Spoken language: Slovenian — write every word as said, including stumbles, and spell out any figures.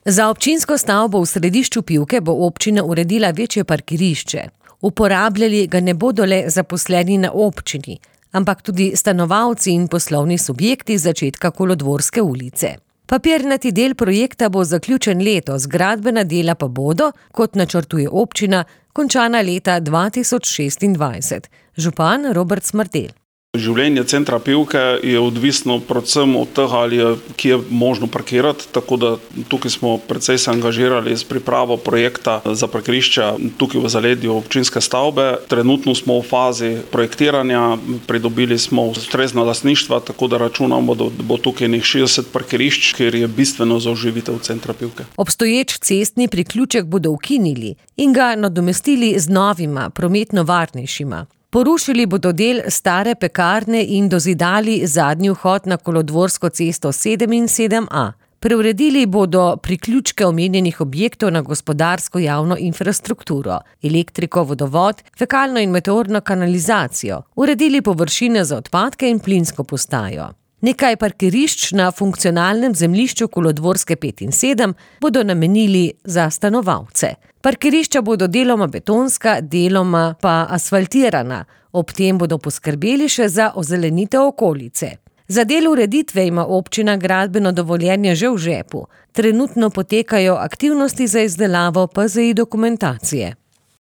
Za občinsko stavbo v središču Pivke bo občina uredila večje parkirišče. Uporabljali ga ne bodo le zaposleni na občini, ampak tudi stanovalci in poslovni subjekti z začetka Kolodvorske ulice. Papirnati del projekta bo zaključen letos, gradbena dela pa bodo, kot načrtuje občina, končana leta dva tisoč šestindvajset. Župan Robert Smrdelj. Življenje centra Pivke je odvisno predvsem od tega, ali je kje je možno parkirati, tako da tukaj smo precej se angažirali s pripravo projekta za parkirišča tukaj v zaledju občinske stavbe. Trenutno smo v fazi projektiranja, pridobili smo ustrezna lastništva, tako da računamo, da bo tukaj nekaj šestdeset parkirišč, kjer je bistveno za oživitev centra Pivke. Obstoječ cestni priključek bodo ukinili in ga nadomestili z novima, prometno varnejšima. Porušili bodo del stare pekarne in dozidali zadnji vhod na Kolodvorsko cesto sedem in sedem A. Preuredili bodo priključke omenjenih objektov na gospodarsko javno infrastrukturo, elektriko, vodovod, fekalno in meteorno kanalizacijo, uredili površine za odpadke in plinsko postajo. Nekaj parkirišč na funkcionalnem zemljišču Kolodvorske pet in sedem bodo namenili za stanovalce. Parkirišča bodo deloma betonska, deloma pa asfaltirana, ob tem bodo poskrbeli še za ozelenitev okolice. Za del ureditve ima občina gradbeno dovoljenje že v žepu. Trenutno potekajo aktivnosti za izdelavo P Z I dokumentacije.